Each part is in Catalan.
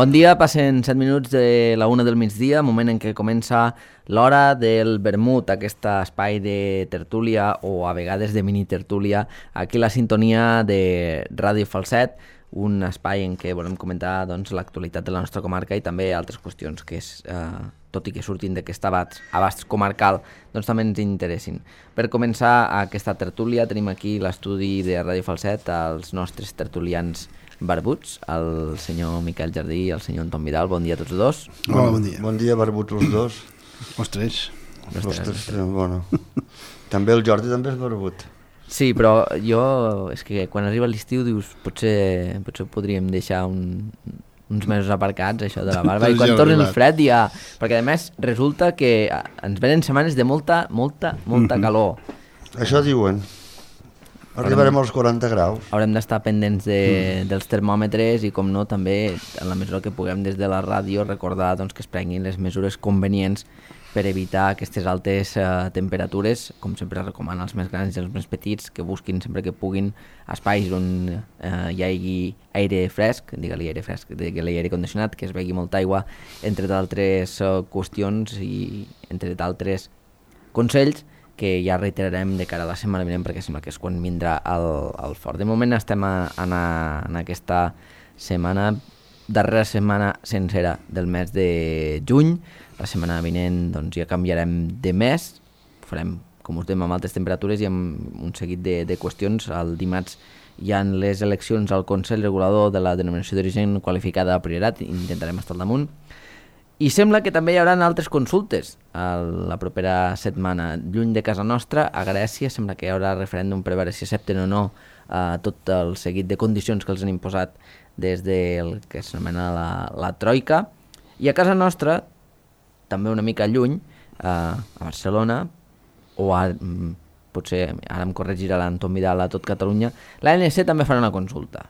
Bon dia, passen 7 minuts de la 1 del migdia, moment en què comença l'hora del vermut, aquest espai de tertúlia o a vegades de mini-tertúlia, aquí la sintonia de Ràdio Falset, un espai en què volem comentar l'actualitat de la nostra comarca i també altres qüestions que, tot i que surtin d'aquest abast comarcal, també ens interessin. Per començar aquesta tertúlia tenim aquí l'estudi de Ràdio Falset, els nostres tertulians barbuts, el senyor Miquel Jardí i el senyor Anton Vidal. Bon dia a tots dos. Hola, bon dia. Bon dia, barbuts els dos. Els tres. Bueno. També el Jordi també és barbut. Sí, però jo, és que quan arriba l'estiu dius, potser podríem deixar uns mesos aparcats, això de la barba, i quan torni el fred ja... Perquè a més resulta que ens venen setmanes de molta calor. Això diuen. Arribarem als 40 graus. Haurem d'estar pendents dels termòmetres i, com no, també, en la mesura que puguem des de la ràdio, recordar que es prenguin les mesures convenients per evitar aquestes altes temperatures. Com sempre recomano als més grans i als més petits que busquin sempre que puguin espais on hi hagi aire fresc, digue-li aire condicionat, que es begui molta aigua, entre d'altres qüestions i entre d'altres consells que ja reiterarem de cara a la setmana vinent, perquè sembla que és quan vindrà el fort. De moment estem en aquesta setmana, darrera setmana sencera del mes de juny. La setmana vinent ja canviarem de mes, farem, com us dèiem, amb altes temperatures i amb un seguit de qüestions. El dimarts hi ha les eleccions al Consell Regulador de la Denominació d'Origen Qualificada a Priorat, intentarem estar al damunt. I sembla que també hi haurà altres consultes la propera setmana. Lluny de casa nostra, a Grècia, sembla que hi haurà referèndum per veure si accepten o no tot el seguit de condicions que els han imposat des del que s'anomena la Troika. I a casa nostra, també una mica lluny, a Barcelona, o potser ara em corregirà l'Anton Vidal a tot Catalunya, l'ANC també farà una consulta.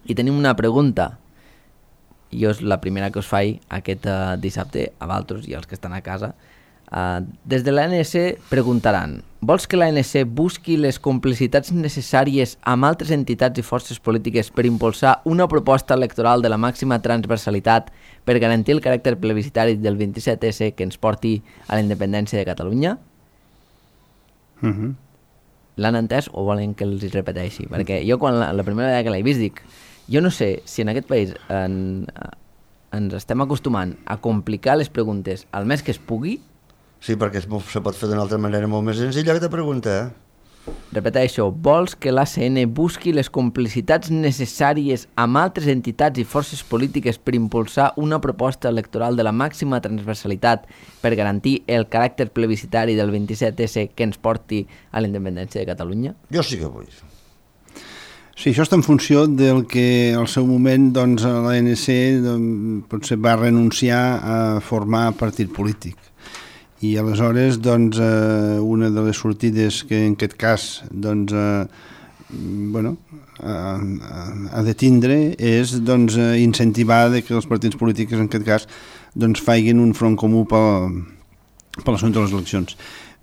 I tenim una pregunta. Jo és la primera que us faig aquest dissabte, a vosaltres i als que estan a casa. Des de l'ANC preguntaran: vols que l'ANC busqui les complicitats necessàries amb altres entitats i forces polítiques per impulsar una proposta electoral de la màxima transversalitat per garantir el caràcter plebiscitari del 27S que ens porti a la independència de Catalunya? L'han entès o volen que els repeteixi? Perquè jo quan la primera vegada que l'he vist dic, jo no sé si en aquest país ens estem acostumant a complicar les preguntes al més que es pugui. Sí, perquè se pot fer d'una altra manera molt més senzilla que te pregunta, Repeteixo, vols que l'ACN busqui les complicitats necessàries amb altres entitats i forces polítiques per impulsar una proposta electoral de la màxima transversalitat per garantir el caràcter plebiscitari del 27S que ens porti a la independència de Catalunya? Jo sí que vull. Sí, això està en funció del que al seu moment l'ANC potser va renunciar a formar partit polític. I aleshores una de les sortides que en aquest cas ha de tindre és incentivar que els partits polítics en aquest cas facin un front comú per l'assumpte de les eleccions.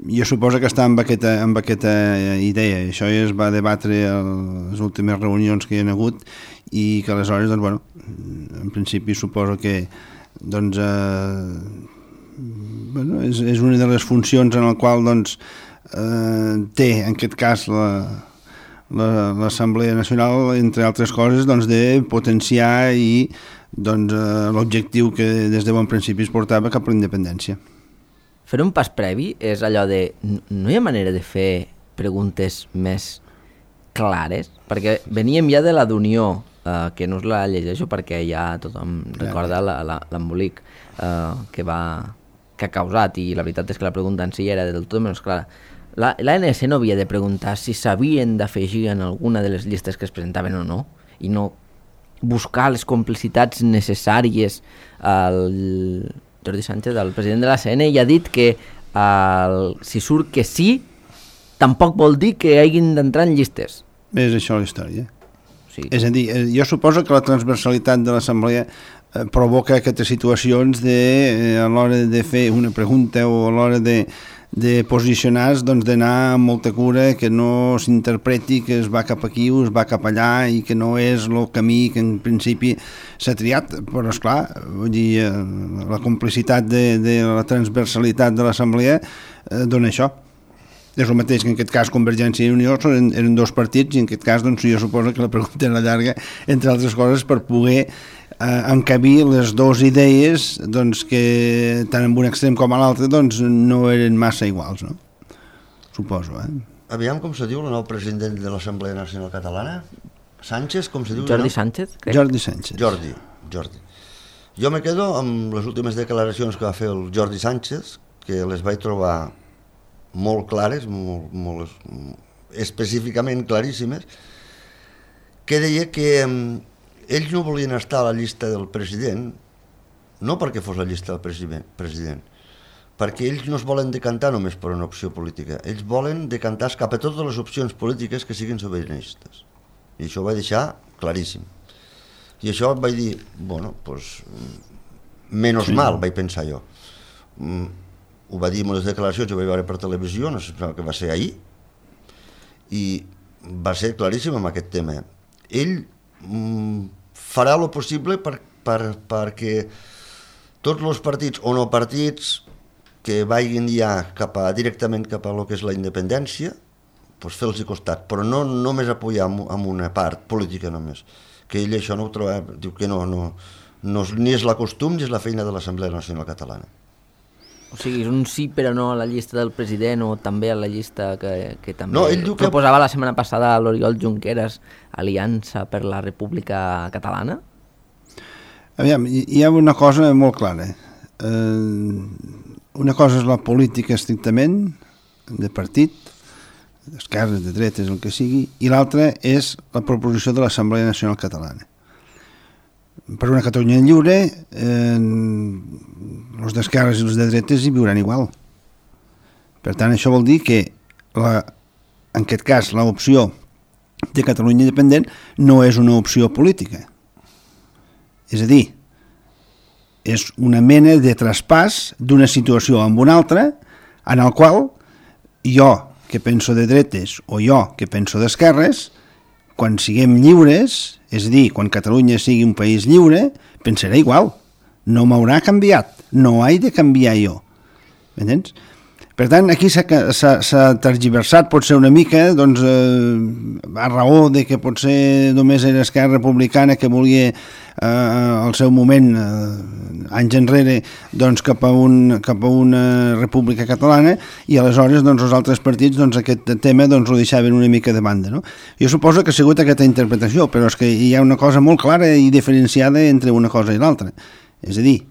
Jo suposo que està amb aquesta idea. Això ja es va debatre a les últimes reunions que hi ha hagut i que aleshores, en principi suposo que és una de les funcions en la qual té en aquest cas l'Assemblea Nacional, entre altres coses, de potenciar i l'objectiu que des de bon principi es portava cap a la independència. Fer un pas previ és allò de... No hi ha manera de fer preguntes més clares? Perquè veníem ja de la d'Unió, que no us la llegeixo perquè ja tothom recorda l'embolic que ha causat, i la veritat és que la pregunta en si era del tot menys clara. L'ANC no havia de preguntar si s'havien d'afegir en alguna de les llistes que es presentaven o no, i no buscar les complicitats necessàries. El Jordi Sánchez, el president de l'ACN, ja ha dit que si surt que sí, tampoc vol dir que hagin d'entrar en llistes. És això la història. Sí. És a dir, jo suposo que la transversalitat de l'Assemblea provoca aquestes situacions a l'hora de fer una pregunta o a l'hora de posicionar-se, doncs d'anar amb molta cura, que no s'interpreti que es va cap aquí o es va cap allà i que no és el camí que en principi s'ha triat, però esclar, vull dir, la complicitat de la transversalitat de l'Assemblea dona això. És el mateix que en aquest cas Convergència i Unió eren dos partits i en aquest cas doncs, jo suposo que la pregunta era llarga, entre altres coses, per poder encabir les dues idees doncs, que tant en un extrem com a l'altre doncs, no eren massa iguals, no? Suposo, Aviam com se diu el nou president de l'Assemblea Nacional Catalana? Sánchez, com se diu? Jordi Sánchez, crec. Jordi Sánchez. Jordi. Jo me quedo amb les últimes declaracions que va fer el Jordi Sánchez, que les vaig trobar molt clares, molt específicament claríssimes, que deia que ells no volien estar a la llista del president, no perquè fos la llista del president, perquè ells no es volen decantar només per una opció política, ells volen decantar cap a totes les opcions polítiques que siguin sobiranistes. I això ho vaig deixar claríssim. I això vaig dir, bueno, doncs, menos mal, vaig pensar jo. Ho va dir en les declaracions, ho vaig veure per televisió, no sé que va ser ahir, i va ser claríssim amb aquest tema. Ell farà el possible perquè tots els partits o no partits que vagin ja directament cap a lo que és la independència, doncs fer-los costat, però no només apoyar amb una part política només, que ell això no ho troba, diu que no, ni és la costum ni és la feina de l'Assemblea Nacional Catalana. O sigui, és un sí però no a la llista del president o també a la llista que també no, ell diu que proposava la setmana passada a l'Oriol Junqueras, Aliança per la República Catalana? Aviam, hi ha una cosa molt clara. Una cosa és la política estrictament, de partit, d'esquerres, de dretes, el que sigui, i l'altra és la proposició de l'Assemblea Nacional Catalana. Per una Catalunya lliure, els d'esquerres i els de dretes hi viuran igual. Per tant, això vol dir que, en aquest cas, l'opció de Catalunya independent no és una opció política. És a dir, és una mena de traspàs d'una situació amb una altra, en el qual jo, que penso de dretes, o jo, que penso d'esquerres, quan siguem lliures, és a dir, quan Catalunya sigui un país lliure, pensaré igual. No m'haurà canviat. No he de canviar jo. M'entens? Per tant, aquí s'ha tergiversat potser una mica, doncs, a raó de que potser només era Esquerra Republicana que volia al seu moment, anys enrere, doncs, cap a una república catalana, i aleshores doncs, els altres partits doncs, aquest tema doncs, ho deixaven una mica de banda. No? Jo suposo que ha sigut aquesta interpretació, però és que hi ha una cosa molt clara i diferenciada entre una cosa i l'altra. És a dir,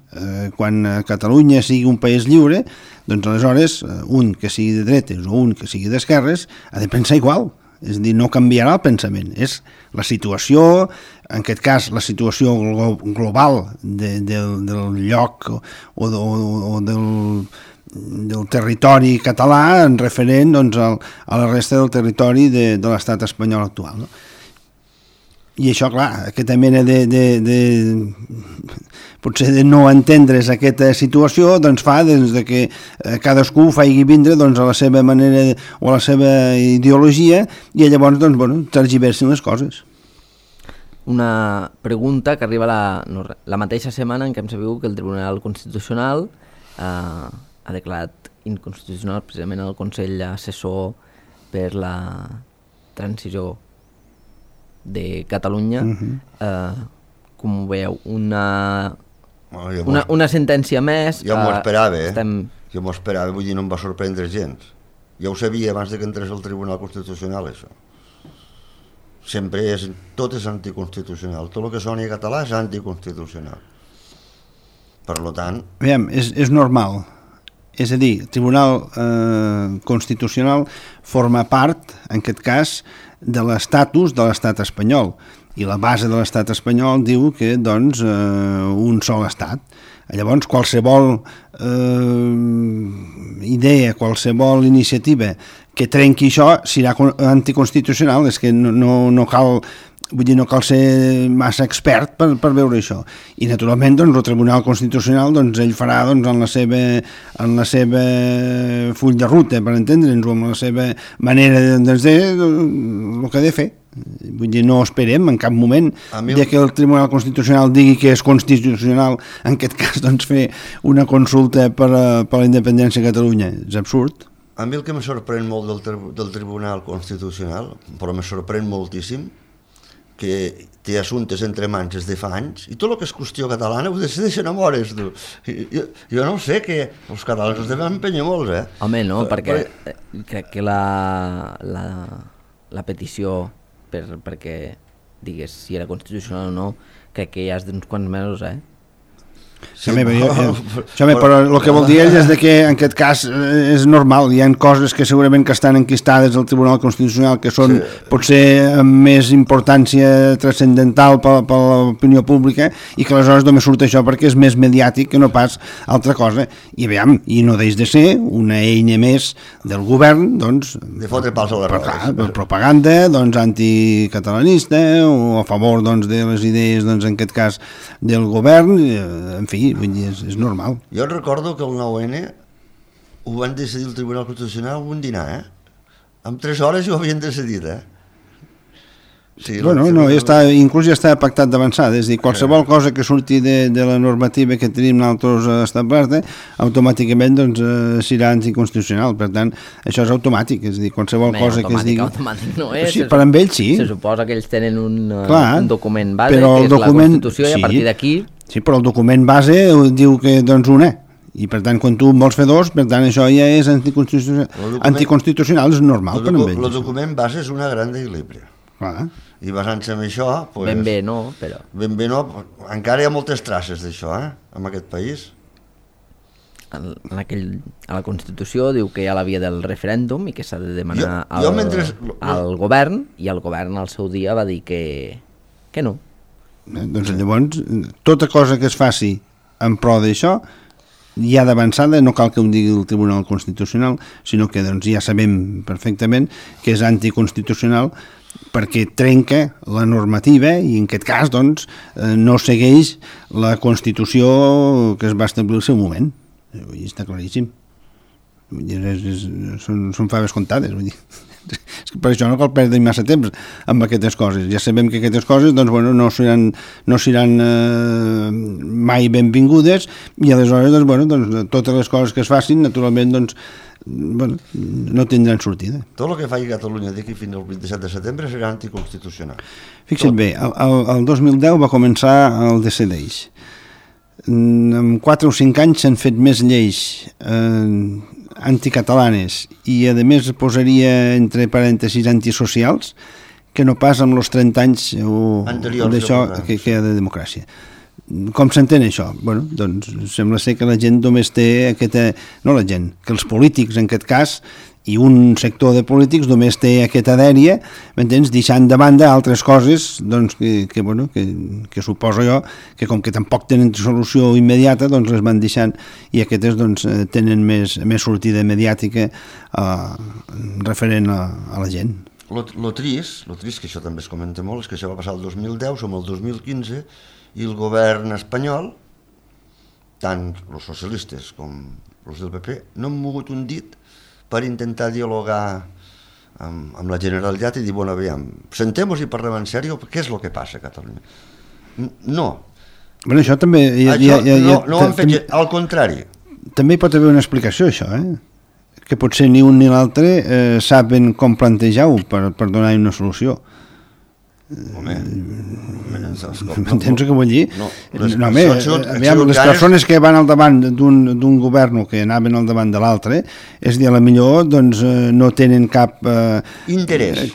quan Catalunya sigui un país lliure, doncs aleshores un que sigui de dretes o un que sigui d'esquerres ha de pensar igual, és a dir, no canviarà el pensament, és la situació, en aquest cas la situació global del lloc o del territori català en referent doncs, a la resta del territori de l'estat espanyol actual. No? I això, clar, aquesta mena potser de no entendre's aquesta situació doncs fa des de que cadascú faci vindre doncs, a la seva manera o a la seva ideologia i llavors doncs, bueno, tergiversin les coses. Una pregunta que arriba la mateixa setmana en què hem sabut que el Tribunal Constitucional ha declarat inconstitucional precisament el Consell Assessor per la Transició de Catalunya. Com ho veieu? Una sentència més. Jo m'ho esperava, Jo m'ho esperava, vull dir, no em va sorprendre gens. Ja ho sabia abans de que entrés al Tribunal Constitucional, això. Sempre tot és anticonstitucional. Tot el que soni català és anticonstitucional. Per tant... Aviam, és normal. És a dir, el Tribunal Constitucional forma part, en aquest cas, de l'estatus de l'estat espanyol. I la base de l'estat espanyol diu que, doncs, un sol estat. Llavors, qualsevol idea, qualsevol iniciativa que trenqui això serà anticonstitucional. És que no cal vull dir, no cal ser massa expert per veure això. I naturalment doncs, el Tribunal Constitucional doncs, ell farà doncs, en la seva full de ruta, per entendre'ns, o amb la seva manera de el que ha de fer. Vull dir, no esperem en cap moment que el Tribunal Constitucional digui que és constitucional, en aquest cas doncs, fer una consulta per la independència de Catalunya. És absurd. A mi el que me sorprèn molt del Tribunal Constitucional, però me sorprèn moltíssim, que té assumptes entre mans des de fa anys, i tot el que és qüestió catalana ho decideixen a mores, tu. Jo no sé, que els catalans els devem empènyer molts, Home, no, perquè crec que la petició perquè digués si era constitucional o no, crec que ja és d'uns quants mesos, Sí, però el que vol dir ell és que en aquest cas és normal, hi ha coses que segurament que estan enquistades al Tribunal Constitucional que són potser amb més importància transcendental per l'opinió pública i que aleshores només surt això perquè és més mediàtic que no pas altra cosa, i aviam, i no deix de ser una eina més del govern, doncs, de fotre pals a les rodes, per propaganda, doncs, anticatalanista o a favor, doncs, de les idees, doncs, en aquest cas del govern, en fi, vull dir, és normal. Jo recordo que el 9-N ho van decidir el Tribunal Constitucional en un dinar, En 3 hores ho havien decidit, Sí, bueno, no, inclús ja està pactat d'avançada, és a dir, qualsevol cosa que surti de la normativa que tenim nosaltres establerta, automàticament doncs, serà anticonstitucional, per tant, això és automàtic, és a dir, qualsevol cosa que es digui... Automàtic no és. Sí, per amb ells sí. Se suposa que ells tenen un document base, que és la Constitució, i a partir d'aquí... Sí, però el document base diu que doncs una, i per tant quan tu en vols fer dos, per tant això ja és anticonstitucional, és normal per amb ells. El document base és una gran equilibri. I basant-se en això... Ben bé no, però... Ben bé no, encara hi ha moltes traces d'això, en aquest país. A la Constitució diu que hi ha la via del referèndum i que s'ha de demanar al govern, i el govern al seu dia va dir que no. Doncs llavors, tota cosa que es faci en pro d'això, ja d'avançada, no cal que ho digui el Tribunal Constitucional, sinó que doncs, ja sabem perfectament que és anticonstitucional perquè trenca la normativa i en aquest cas doncs, no segueix la Constitució que es va establir al seu moment. Està claríssim. Són faves comptades, vull dir. És que per això no cal perdre massa temps amb aquestes coses. Ja sabem que aquestes coses doncs, bueno, no seran mai benvingudes i aleshores doncs, bueno, doncs, totes les coses que es facin naturalment doncs, bueno, no tindran sortida. Tot el que faci Catalunya d'aquí fins al 27 de setembre serà anticonstitucional. Fixa't bé, el 2010 va començar el DCDeix. En 4 o 5 anys s'han fet més lleis anticatalanes i a més posaria entre parèntesis antisocials que no pas amb els 30 anys d'això que hi ha de democràcia. Com s'entén això? Bueno, doncs sembla ser que la gent només té no la gent, que els polítics en aquest cas i un sector de polítics només té aquesta dèria, m'entens, deixant de banda altres coses doncs, que suposo jo que com que tampoc tenen solució immediata doncs les van deixant i aquestes doncs, tenen més sortida mediàtica referent a la gent. Lo trist, que això també es comenta molt, és que això va passar el 2010, som el 2015 i el govern espanyol, tant els socialistes com els del PP, no han mogut un dit per intentar dialogar amb la Generalitat i dir, bueno, aviam, sentem-nos i parlem en sèrio, què és el que passa a Catalunya? No. Bueno, això també... No ho han fet, al contrari. També hi pot haver una explicació, això, que potser ni un ni l'altre saben com plantejar-ho per donar una solució. M'entens què vull dir? Les persones que van al davant d'un govern que anaven al davant de l'altre és dir, a la millor doncs, no tenen cap interès,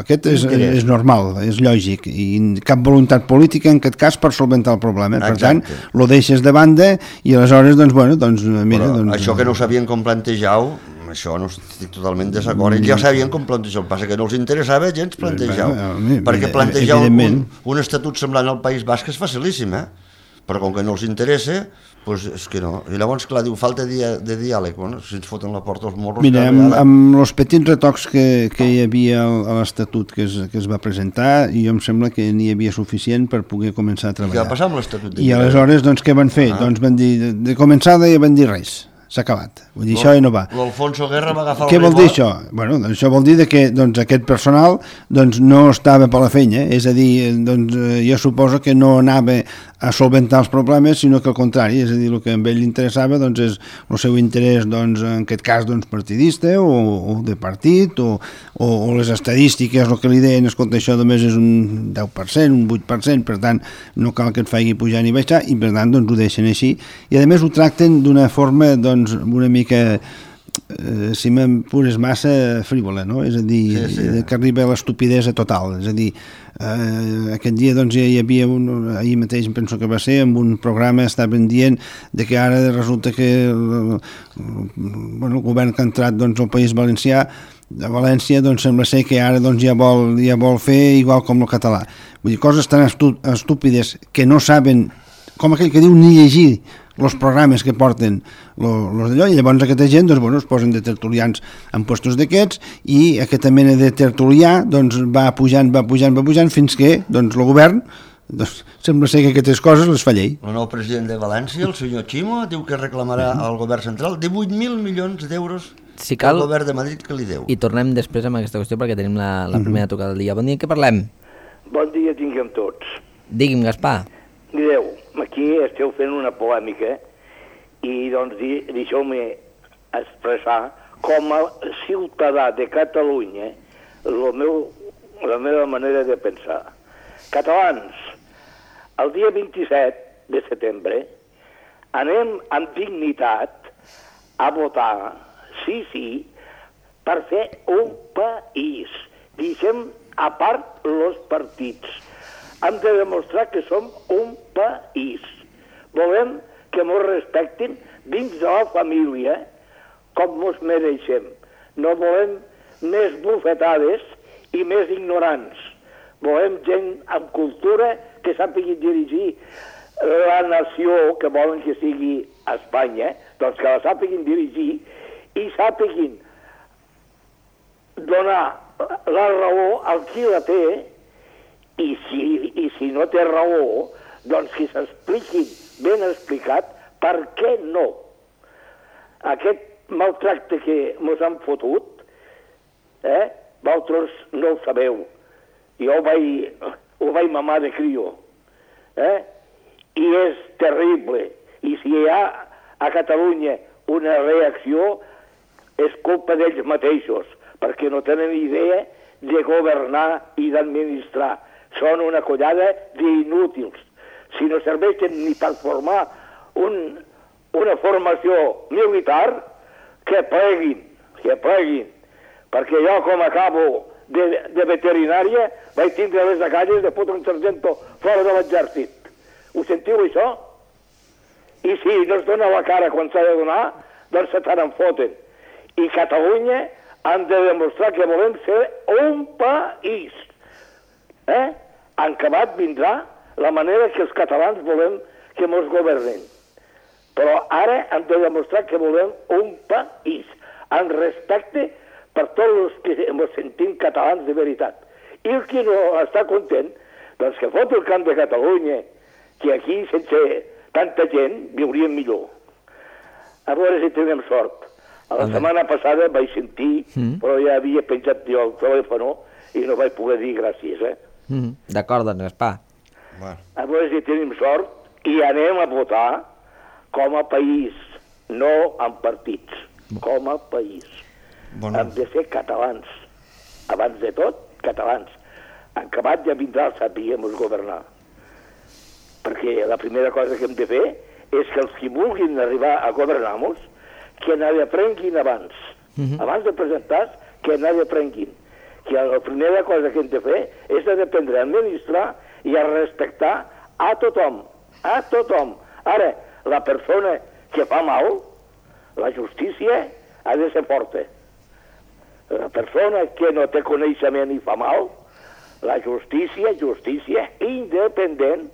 aquest és normal, és lògic, i cap voluntat política en aquest cas per solventar el problema. Per tant, lo deixes de banda i aleshores això que no sabien com plantejar-ho, això no estic totalment desacord. Ells ja sabien com plantejar-ho, el que passa que no els interessava gens plantejar-ho, perquè plantejar un estatut semblant al País Basc és facilíssim, però com que no els interessa, doncs és que no. I llavors, clar, diu, falta de diàleg. Bueno, si ens foten la porta als morros... Mira, amb els petits retocs que hi havia a l'Estatut que es va presentar, jo em sembla que n'hi havia suficient per poder començar a treballar. I què va passar amb l'Estatut? I aleshores, doncs, què van fer? Doncs van dir, de començada ja van dir res. S'ha acabat. Vull dir, això ja no va. L'Alfonso Guerra va agafar el Què vol dir això? Bueno, doncs això vol dir que doncs, aquest personal doncs, no estava per la feina, és a dir, doncs, jo suposo que no anava a solventar els problemes, sinó que al contrari, és a dir, el que a ell li interessava doncs, és el seu interès, doncs, en aquest cas, doncs, partidista o de partit, o les estadístiques, el que li deien, escolta, això només és un 10%, un 8%, per tant, no cal que et faci pujar ni baixar, i per tant, doncs, ho deixen així, i a més ho tracten d'una forma, doncs, una mica... si m'apures massa frívola, no? És a dir, que arriba a l'estupidesa total, és a dir, aquest dia doncs hi havia ahir mateix penso que va ser, amb un programa estaven dient de que ara resulta que el govern que ha entrat doncs al País Valencià de València doncs sembla ser que ara doncs ja vol fer igual com el català, vull dir, coses tan estúpides que no saben, com aquell que diu ni llegir els programes que porten los d'allò, i llavors aquesta gent doncs, bueno, es posen de tertulians en puestos d'aquests i aquesta mena de tertulià doncs, va pujant fins que doncs, el govern doncs, sembla ser que aquestes coses les fa llei. El nou president de València, el senyor Chimo, diu que reclamarà al govern central 18.000 milions d'euros si cal, al govern de Madrid que li deu. I tornem després amb aquesta qüestió perquè tenim la primera tocada del dia. Bon dia, què parlem? Bon dia tinguem tots. Digui'm, Gaspar. Mireu, aquí esteu fent una polèmica i doncs deixeu-me expressar com a ciutadà de Catalunya la meva manera de pensar. Catalans, el dia 27 de setembre anem amb dignitat a votar sí, per fer un país. Deixem a part els partits. Hem de demostrar que som un país. Volem que ens respectin dins de la família com ens mereixem. No volem més bufetades i més ignorants. Volem gent amb cultura que sàpigui dirigir la nació que volen que sigui Espanya, doncs que la sàpiguin dirigir i sàpiguin donar la raó al qui la té. I si no té raó, doncs que s'expliquin ben explicat per què no. Aquest maltracte que ens han fotut, vosaltres no ho sabeu. Jo ho vaig mamar de crio. I és terrible. I si hi ha a Catalunya una reacció, és culpa d'ells mateixos, perquè no tenen idea de governar i d'administrar. Són una collada d'inútils. Si no serveixen ni per formar una formació militar, que pleguin. Perquè jo, com acabo de veterinària, vaig tindre les agalles de fotre un sargento fora de l'exèrcit. Ho sentiu, això? I si no es dona la cara quan s'ha de donar, doncs se t'en foten. I Catalunya han de demostrar que volem ser un país. En acabat vindrà la manera que els catalans volem que ens governen. Però ara hem de demostrar que volem un país, amb respecte per tots els que ens sentim catalans de veritat. I el que no està content, doncs que fot el camp de Catalunya, que aquí, sense tanta gent, viuríem millor. A veure si tenim sort. La setmana passada vaig sentir, però ja havia penjat jo el telèfon i no vaig poder dir gràcies, D'acord, doncs, Gaspar. A veure si tenim sort i anem a votar com a país, no en partits, com a país. Hem de ser catalans. Abans de tot, catalans. En acabat ja vindrà el sapiguem governar. Perquè la primera cosa que hem de fer és que els que vulguin arribar a governar-nos, que n'aprenguin abans. Abans de presentar-se, que n'aprenguin. Que la primera cosa que hem de fer és aprendre a administrar i a respectar a tothom. A tothom. Ara, la persona que fa mal, la justícia ha de ser forta. La persona que no té coneixement i fa mal, la justícia independent,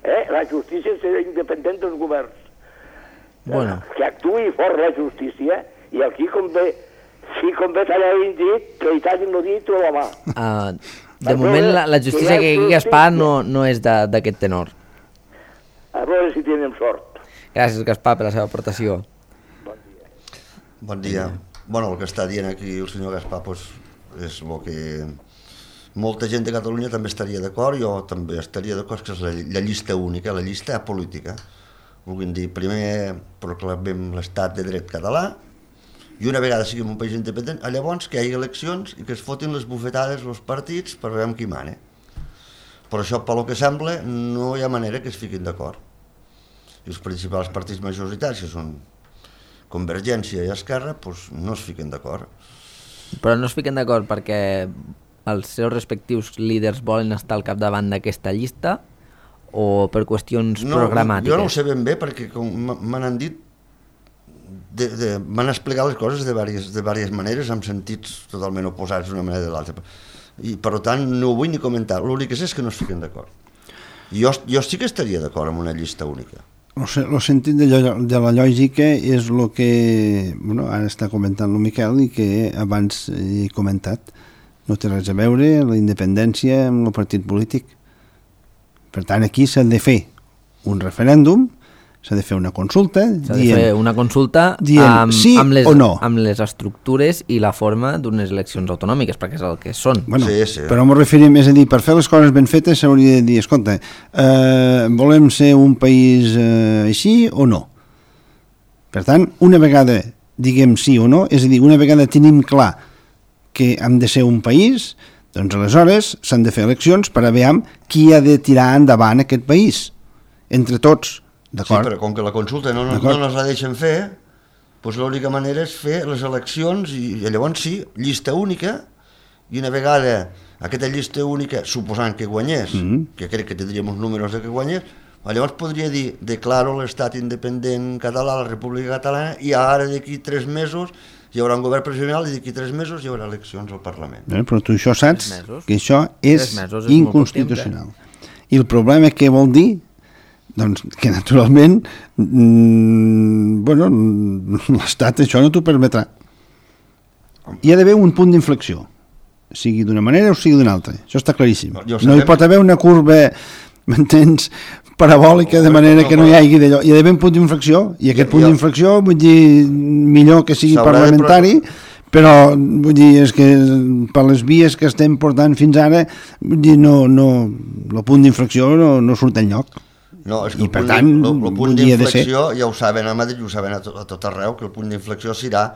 La justícia serà independent dels governs. Bueno. Que actuï fort la justícia i aquí convé, si convé t'hagin dit, que hi t'hagin dit o la mà. De moment la justícia que aquí Gaspar no és d'aquest tenor. A veure si tenim sort. Gràcies, Gaspar, per la seva aportació. Bon dia. Bueno, el que està dient aquí el senyor Gaspar és el que molta gent de Catalunya també estaria d'acord, jo també estaria d'acord, que és la llista única, la llista política. Vulguin dir, primer proclamem l'estat de dret català i una vegada siguem un país independent, llavors que hi hagi eleccions i que es fotin les bufetades els partits per veure qui mana. Però això, pel que sembla, no hi ha manera que es fiquin d'acord. I els principals partits majoritaris, que són Convergència i Esquerra, doncs no es fiquen d'acord. Però no es fiquen d'acord perquè els seus respectius líders volen estar al capdavant d'aquesta llista o per qüestions programàtiques? Jo no ho sé ben bé perquè m'han dit, m'han explicat les coses de diverses maneres amb sentits totalment oposats d'una manera o de l'altra. I per tant no ho vull ni comentar, l'únic que sé és que no es fiquen d'acord. Jo sí que estaria d'acord amb una llista única. El sentit de la lògica és el que ara està comentant el Miquel i que abans he comentat. No té res a veure la independència amb el partit polític. Per tant, aquí s'ha de fer un referèndum, s'ha de fer una consulta. S'ha de fer una consulta amb les estructures i la forma d'unes eleccions autonòmiques, perquè és el que són. Bueno, sí. Però m'ho referim, és a dir, per fer les coses ben fetes s'hauria de dir, escolta, volem ser un país així o no? Per tant, una vegada diguem sí o no, és a dir, una vegada tenim clar que hem de ser un país, doncs aleshores s'han de fer eleccions per a veure qui ha de tirar endavant aquest país, entre tots, d'acord? Sí, però com que la consulta no nos la deixen fer, doncs l'única manera és fer les eleccions i llavors sí, llista única, i una vegada aquesta llista única, suposant que guanyés, que crec que tindríem uns números de que guanyés, llavors podria dir, declaro l'estat independent català, la República Catalana, i ara d'aquí 3 mesos hi haurà un govern provisional i d'aquí 3 mesos hi haurà eleccions al Parlament. Però tu això saps que això és inconstitucional. I el problema què vol dir? Doncs que naturalment l'Estat això no t'ho permetrà. Hi ha d'haver un punt d'inflexió, sigui d'una manera o sigui d'una altra. Això està claríssim. No hi pot haver una curva, m'entens, parabòlica, de manera que no hi hagi d'allò. Hi ha d'haver un punt d'inflexió, i aquest punt d'inflexió, vull dir, millor que sigui parlamentari, però vull dir, és que per les vies que estem portant fins ara, vull dir, el punt d'inflexió no surt enlloc. No, és que i per tant, el punt d'inflexió, ja ho saben a Madrid, ho saben a tot arreu, que el punt d'inflexió serà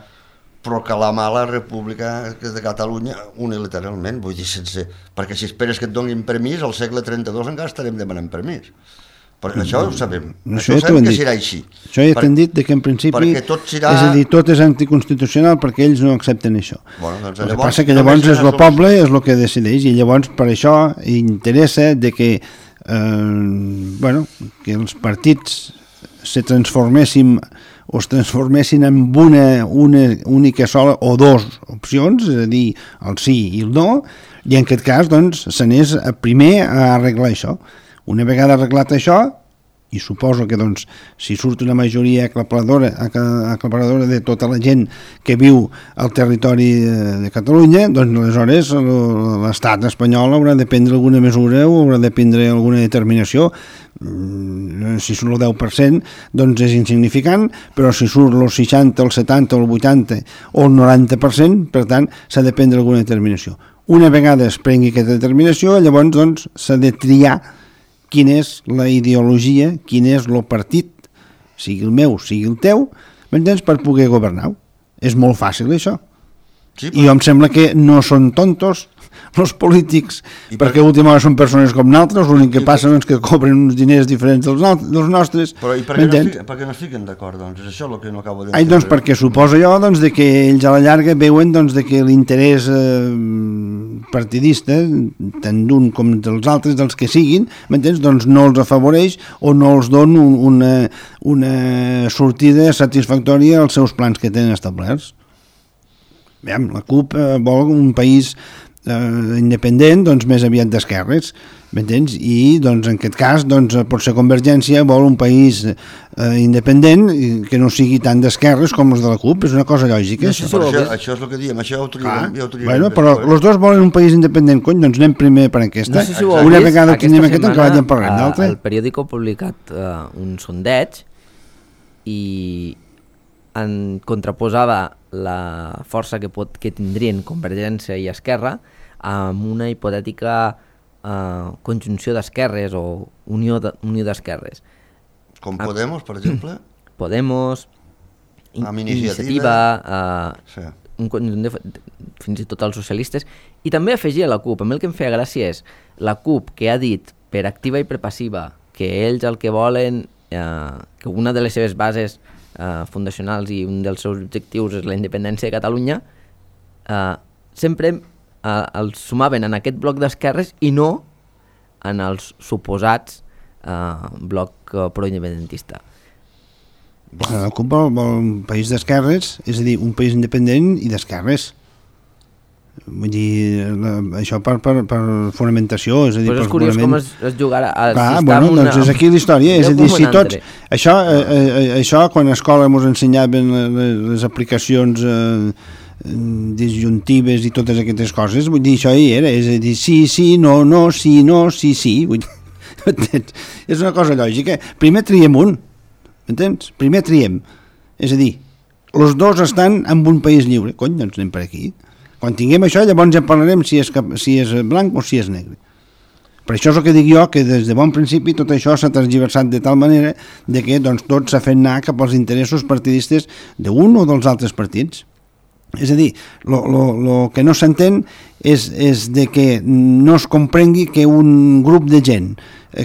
proclamar la República de Catalunya unilateralment, vull dir, perquè si esperes que et donin permís, al segle 32 encara estarem demanant permís. Perquè això ho sabem, això sabem que serà així. Això ja t'han dit que en principi, és a dir, tot és anticonstitucional perquè ells no accepten això. El que passa que llavors és el poble, és el que decideix, i llavors per això interessa de que que els partits se transformessin o es transformessin en una única sola o dues opcions, és a dir, el sí i el no, i en aquest cas doncs s'anés primer a arreglar això. Una vegada arreglat això, i suposo que doncs, si surt una majoria aclaparadora de tota la gent que viu al territori de Catalunya, doncs aleshores l'estat espanyol haurà de prendre alguna mesura o haurà de prendre alguna determinació. Si surt el 10% doncs és insignificant, però si surt el 60, el 70, el 80 o el 90%, per tant s'ha de prendre alguna determinació. Una vegada es prengui aquesta determinació, llavors doncs s'ha de triar quina és la ideologia, quin és el partit, sigui el meu, sigui el teu, m'entens, per poder governar. És molt fàcil, això. Sí, però... I em sembla que no són tontos els polítics, perquè últimament són persones com nosaltres, l'únic que passa és que cobren uns diners diferents dels nostres. Però i per què no es fiquen d'acord, doncs? És això el que no acabo d'entendre. Doncs perquè suposo jo de que ells a la llarga veuen de que l'interès partidista, tant d'un com dels altres, dels que siguin, m'entens? Doncs no els afavoreix o no els dona una sortida satisfactòria als seus plans que tenen establerts. La CUP vol un país independent, doncs més aviat d'esquerres, m'entens? I doncs, en aquest cas potser Convergència vol un país independent que no sigui tan d'esquerres com els de la CUP, és una cosa lògica. Això és el que diem, això ho triarem. Bueno, però els dos volen un país independent, cony, doncs anem primer per aquesta. No sé si ho una vist, vegada que anem aquesta, que ja en parlem d'altre. El periòdico ha publicat un sondeig i en contraposada la força que tindrien Convergència i Esquerra amb una hipotètica conjunció d'esquerres o unió d'esquerres. Com Podemos, per exemple? Podemos, amb Iniciativa, sí. un conjunt fins i tot els socialistes, i també afegia la CUP. A mi el que em feia gràcia és la CUP, que ha dit per activa i per passiva que ells el que volen, que una de les seves bases fundacionals i un dels seus objectius és la independència de Catalunya, sempre els sumaven en aquest bloc d'esquerres i no en els suposats bloc proindependentista. La CUP vol un país d'esquerres, és a dir, un país independent i d'esquerres. Vull dir, això per fonamentació, és a dir, però per és curiós com es jugarà. Clar, bueno, doncs és aquí la història, és a dir, si tots... Això quan a escola ens ensenyaven les aplicacions disjuntives i totes aquestes coses, vull dir, això hi era, és a dir, sí, no, sí, vull dir, és una cosa lògica. Primer triem un, entens? Primer triem, és a dir, els dos estan en un país lliure, cony, doncs anem per aquí. Quan tinguem això, llavors ja parlarem si és blanc o si és negre. Per això és el que dic jo, que des de bon principi tot això s'ha transgiversat de tal manera de que doncs, tot s'ha fet anar cap als interessos partidistes d'un o dels altres partits. És a dir, el que no s'entén és de que no es comprengui que un grup de gent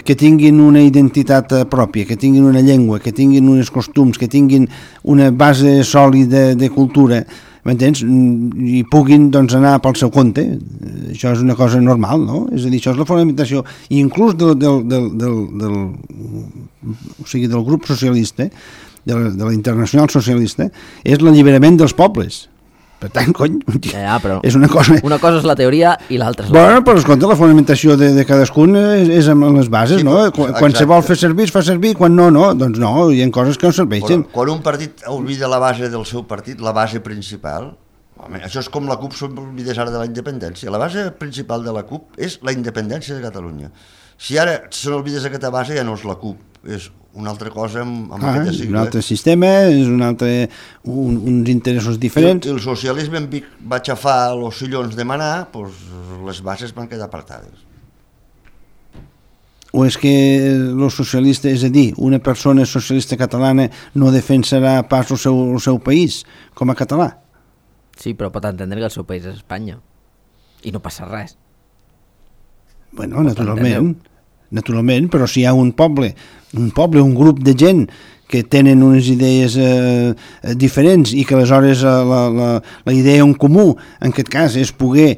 que tinguin una identitat pròpia, que tinguin una llengua, que tinguin uns costums, que tinguin una base sòlida de cultura, m'entens? I puguin doncs, anar pel seu compte. Això és una cosa normal, no? És a dir, això és la fonamentació. I inclús del grup socialista, de la Internacional Socialista, és l'alliberament dels pobles. Per tant, cony, però és una cosa... Una cosa és la teoria i l'altra és Bueno, però escolta, la fonamentació de cadascun és amb les bases, sí, no? Quan se vol fer servir, es fa servir, quan no, doncs no, hi ha coses que no serveixen. Quan un partit oblida la base del seu partit, la base principal, home, això és com la CUP s'oblidés ara de la independència. La base principal de la CUP és la independència de Catalunya. Si ara se n'oblidés aquesta base, ja no és la CUP, és una altra cosa amb aquella sigla. Un altre sistema, és uns interessos diferents. El socialisme va xafar els sillons de manar, doncs les bases van quedar apartades. O és que els socialistes, és a dir, una persona socialista catalana no defensarà pas el seu país com a català? Sí, però pot entendre que el seu país és Espanya i no passa res. Bueno, naturalment, però si hi ha un poble, un grup de gent que tenen unes idees diferents i que aleshores la idea en comú, en aquest cas, és poder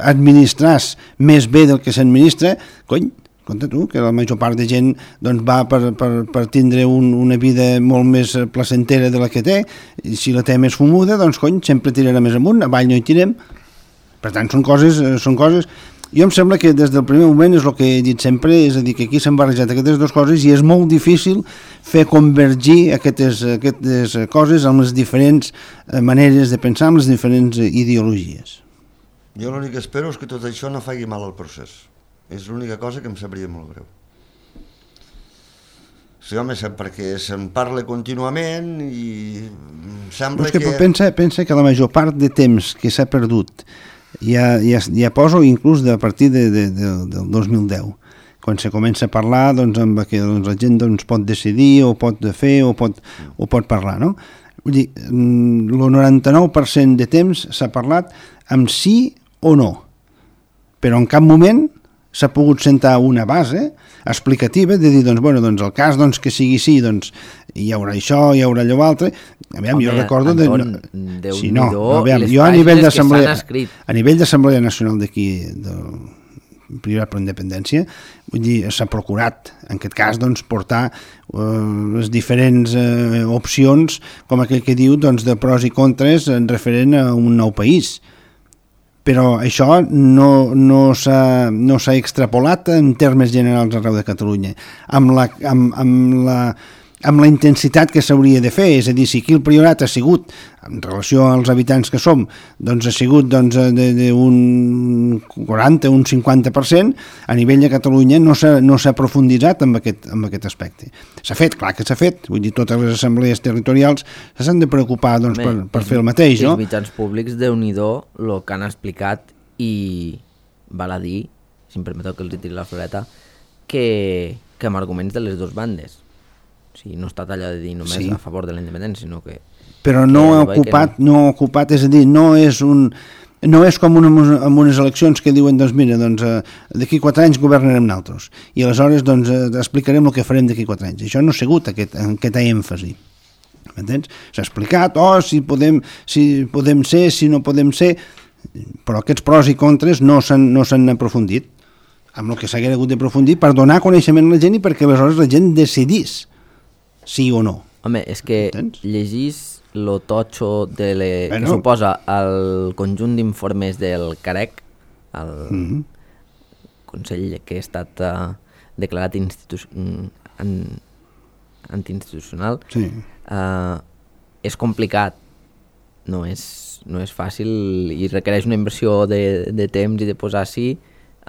administrar més bé del que s'administra, cony, compte tu, que la major part de gent doncs, va per tindre una vida molt més placentera de la que té, i si la té més fumuda, doncs cony, sempre tirarà més amunt, avall no hi tirem. Per tant, són coses... Jo em sembla que des del primer moment és el que he dit sempre, és a dir, que aquí s'han barrejat aquestes dues coses i és molt difícil fer convergir aquestes coses amb les diferents maneres de pensar, amb les diferents ideologies. Jo l'únic que espero és que tot això no faci mal al procés. És l'única cosa que em sabria molt greu. Sí, home, perquè se'n parla contínuament i sembla que... Pensa que la major part de temps que s'ha perdut ja poso inclús a partir del 2010, quan se comença a parlar amb que la gent pot decidir o pot fer o pot parlar, no? Vull dir, el 99% de temps s'ha parlat amb sí o no, però en cap moment s'ha pogut sentar una base explicativa de dir, el cas que sigui sí, hi haurà això, hi haurà allò altre. Aviam, jo recordo... Jo a nivell d'Assemblea Nacional d'aquí, del Privat per Independència, vull dir, s'ha procurat, en aquest cas, portar les diferents opcions, com aquell que diu, de pros i contres en referent a un nou país. però això no s'ha extrapolat en termes generals arreu de Catalunya, amb la intensitat que s'hauria de fer, és a dir, si aquí el Priorat ha sigut, en relació als habitants que som, doncs ha sigut d'un 40, un 50%, a nivell de Catalunya no s'ha profunditzat en aquest aspecte. S'ha fet, clar que s'ha fet, vull dir, totes les assemblees territorials s'han de preocupar doncs, per fer el mateix, no? Els mitjans públics, Déu-n'hi-do, el que han explicat, i val a dir, si em permeteu que els tiri la floreta, que amb arguments de les dues bandes. O sigui, no està allò de dir només a favor de la independència, sinó que... Però no ha ocupat, és a dir, no és com en unes eleccions que diuen, doncs mira, d'aquí 4 anys governarem nosaltres, i aleshores explicarem el que farem d'aquí 4 anys. Això no ha sigut aquest èmfasi. M'entens? S'ha explicat, si podem ser, si no podem ser, però aquests pros i contres no s'han aprofundit, amb el que s'hagués hagut d'aprofundir per donar coneixement a la gent i perquè aleshores la gent decidís sí o no. Home, és que llegís lo totxo que suposa el conjunt d'informes del CAREC, el Consell que ha estat declarat antiinstitucional, és complicat, no és fàcil i requereix una inversió de temps i de posar-s'hi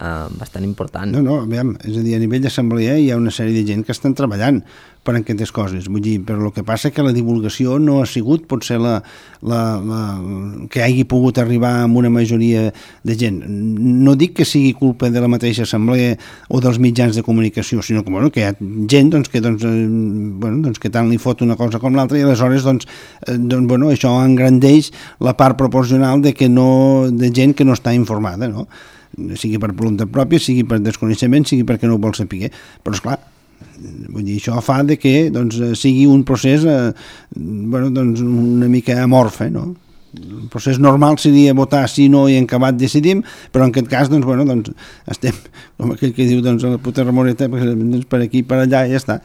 bastant important. No, aviam, és a dir, a nivell d'assemblea hi ha una sèrie de gent que estan treballant per aquestes coses, vull dir, però el que passa que la divulgació no ha sigut potser que hagi pogut arribar amb una majoria de gent. No dic que sigui culpa de la mateixa assemblea o dels mitjans de comunicació, sinó que hi ha gent que tant li fot una cosa com l'altra i aleshores això engrandeix la part proporcional de gent que no està informada, no? Sigui per voluntat pròpia, sigui per desconeixement, sigui perquè no ho vol saber. Però, esclar, vull dir, això fa que sigui un procés una mica amorfe, no? El procés normal seria votar sí, no i en acabat decidim, però en aquest cas estem, com aquell que diu a la puta remoreta, per aquí, per allà, i ja està.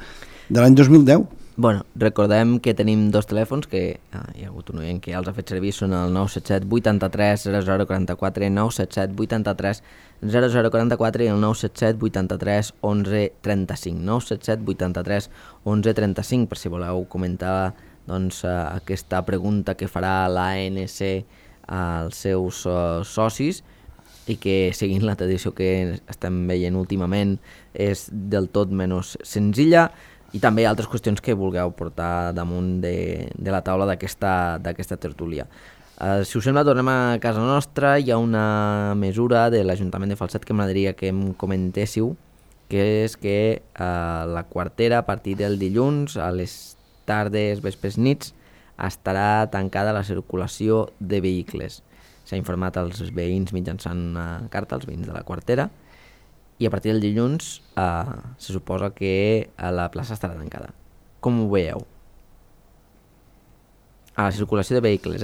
De l'any 2010. Bueno, recordem que tenim 2 telèfons que hi ha hagut un oient que ja els ha fet servir, són el 977 83 0044, 977 83 0044 i el 977 83 11 35, 977 83 11 35, per si voleu comentar aquesta pregunta que farà l'ANC als seus socis i que, seguint la tradició que estem veient últimament, és del tot menys senzilla, i també altres qüestions que vulgueu portar damunt de la taula d'aquesta tertúlia. Si us sembla, tornem a casa nostra. Hi ha una mesura de l'Ajuntament de Falset que m'agradaria que em comentéssiu, que és que la quartera, a partir del dilluns, a les tardes, vespres, nits, estarà tancada la circulació de vehicles. S'ha informat als veïns mitjançant una carta, als veïns de la quartera, i a partir del dilluns se suposa que la plaça estarà tancada. Com ho veieu? A la circulació de vehicles,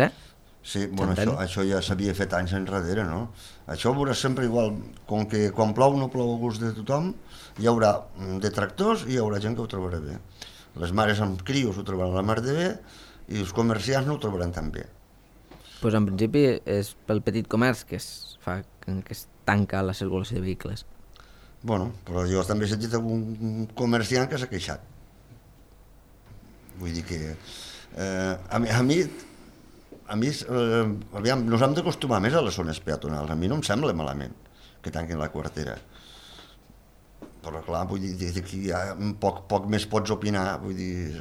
Sí, bueno, això ja s'havia fet anys enrere, no? Això veurà sempre igual, com que quan plou no plou a gust de tothom, hi haurà detractors i hi haurà gent que ho trobarà bé. Les mares amb crios ho trobaran la mar de bé i els comerciants no ho trobaran tan bé. Doncs en principi és pel petit comerç que es tanca la circulació de vehicles. Bueno, però jo també he sentit algun comerciant que s'ha queixat. Vull dir que a mi aviam, nos hem d'acostumar més a les zones peatonals. A mi no em sembla malament que tanquin la quartera. Però clar, vull dir que poc més pots opinar, vull dir,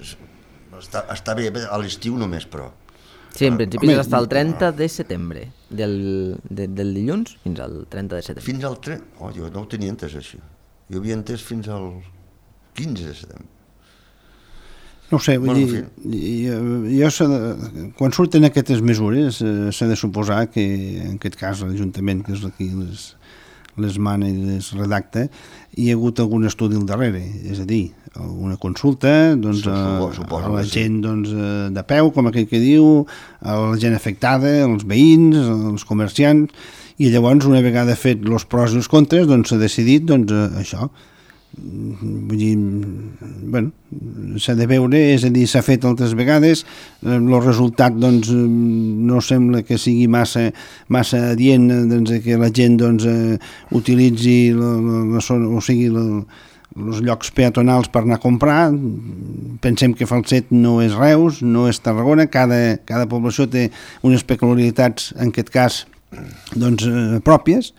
està bé a l'estiu només, però... Sí, en principi és fins al 30 de setembre, del dilluns fins al 30 de setembre. Fins al 30? Oh, jo no ho tenia entès, això. Jo havia entès fins al 15 de setembre. No ho sé, vull dir, quan surten aquestes mesures s'ha de suposar que, en aquest cas, l'Ajuntament, que és qui les mana i les redacta, hi ha hagut algun estudi al darrere, és a dir, alguna consulta a la gent de peu, com aquell que diu, a la gent afectada, als veïns, als comerciants, i llavors, una vegada fet els pros i els contres, s'ha decidit això, Vull dir, bueno, s'ha de veure, és a dir, s'ha fet altres vegades, el resultat doncs no sembla que sigui massa adient, doncs, que la gent doncs utilitzi els llocs peatonals per anar a comprar. Pensem que Falset no és Reus, no és Tarragona, cada població té unes peculiaritats, en aquest cas, doncs, pròpies,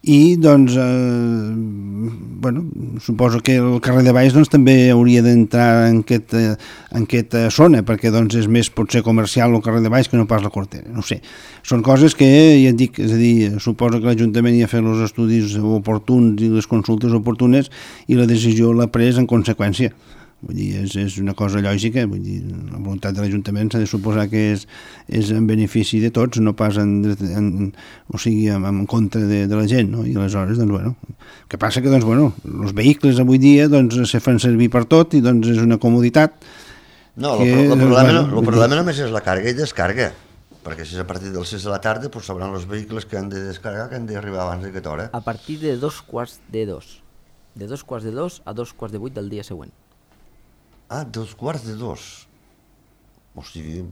i doncs bueno, suposo que el carrer de Baix doncs, també hauria d'entrar en aquesta zona, perquè doncs, és més potser comercial el carrer de Baix que no pas la Cortera, no sé. Són coses que ja et dic, és a dir, suposo que l'Ajuntament ja ha fet els estudis oportuns i les consultes oportunes i la decisió l'ha pres en conseqüència. Vull dir, és una cosa lògica, vull dir, la voluntat de l'Ajuntament s'ha de suposar que és en benefici de tots, no pas en contra de la gent, no? I aleshores, doncs, bueno, el que passa que, doncs, bueno, els vehicles avui dia, doncs, se fan servir per tot i, doncs, és una comoditat. No, el problema només és la càrrega i descàrrega, perquè si és a partir dels 6 de la tarda, doncs sabran els vehicles que han de descarregar, que han d'arribar abans d'aquesta hora. A partir de 2:45, de 2:45 a 2:45 del dia següent. Ah, 2:45. O sigui...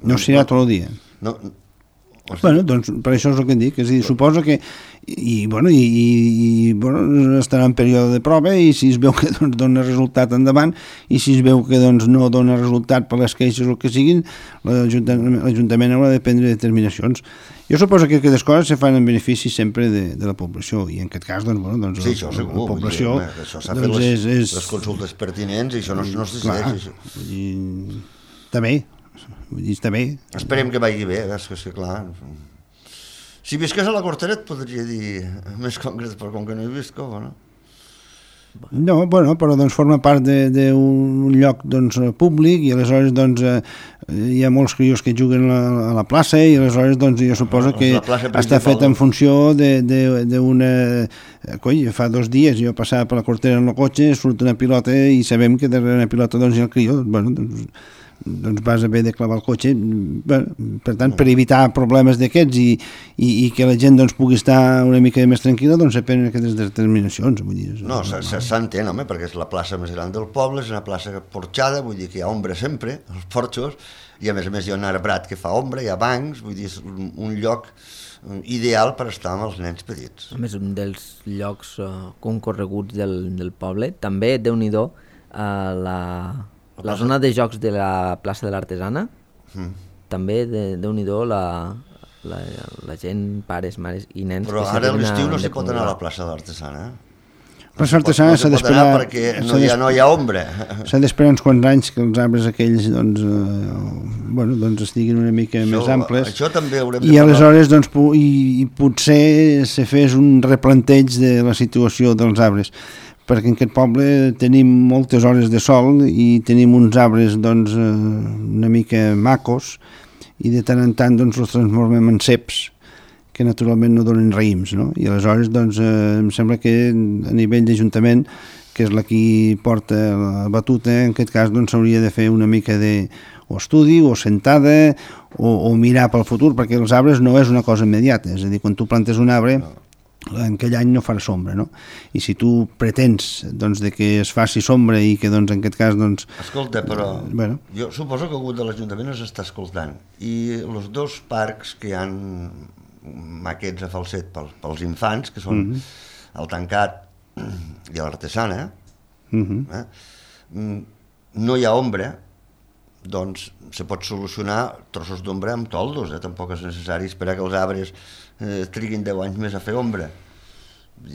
No serà tot el dia. No, bueno, doncs per això és el que em dic, és a dir, suposo que bueno, estarà en període de prova i si es veu que doncs, dona resultat endavant i si es veu que doncs, no dona resultat per les queixes o el que siguin, l'Ajuntament haurà de prendre determinacions. Jo suposo que aquestes coses se fan en benefici sempre de la població i en aquest cas doncs, bueno, doncs, sí, això segur, la població això s'ha doncs, fet les consultes pertinents i això no es decideix. Està bé. Vull dir, està bé. Esperem que vagi bé, és que clar... Si visques a la Cortera et podria dir més concret, però com que no hi visco, no? No, bueno, però doncs forma part d'un lloc doncs, públic i aleshores doncs, hi ha molts crios que juguen a la plaça i aleshores doncs, jo suposo que està fet en funció d'una... Coi, fa 2 dies jo passava per la Cortera amb el cotxe, surt una pilota i sabem que darrere una pilota doncs, hi ha el crió, bueno, doncs vas haver de clavar el cotxe. Bé, per tant, per evitar problemes d'aquests i que la gent doncs, pugui estar una mica més tranquil·la, doncs se prenen aquestes determinacions. Vull dir, no, s'entén, home, perquè és la plaça més gran del poble, és una plaça porxada, vull dir que hi ha ombra sempre, als porxos, i a més hi ha un arbrat que fa ombra, hi ha bancs, vull dir, és un lloc ideal per estar amb els nens petits. A més, un dels llocs concorreguts del poble, també, Déu-n'hi-do, la zona de jocs de la plaça de l'Artesana, també, Déu-n'hi-do, la gent, pares, mares i nens... Però ara a l'estiu no s'hi pot anar a la plaça de l'Artesana, La plaça Artesana s'ha d'esperar... perquè no hi ha ombra. S'ha d'esperar uns quants anys que els arbres aquells doncs, doncs estiguin una mica més amples. Això també haurem de parlar. I aleshores doncs, potser se fes un replanteig de la situació dels arbres, perquè en aquest poble tenim moltes hores de sol i tenim uns arbres doncs, una mica macos i de tant en tant doncs, els transformem en ceps que naturalment no donen raïms, no? I aleshores doncs, em sembla que a nivell d'Ajuntament, que és la qui porta la batuta, en aquest cas doncs, s'hauria de fer una mica d'estudi o sentada o mirar pel futur, perquè els arbres no és una cosa immediata, és a dir, quan tu plantes un arbre en aquell any no farà sombra, no? I si tu pretens doncs, de que es faci sombra i que doncs, en aquest cas... Doncs, escolta, però jo suposo que algú de l'Ajuntament els està escoltant i els 2 parcs que hi ha maquets a Falset pels infants, que són el Tancat i l'Artesana, no hi ha ombra, doncs se pot solucionar trossos d'ombra amb toldos, tampoc és necessari esperar que els arbres triguin 10 anys més a fer ombra.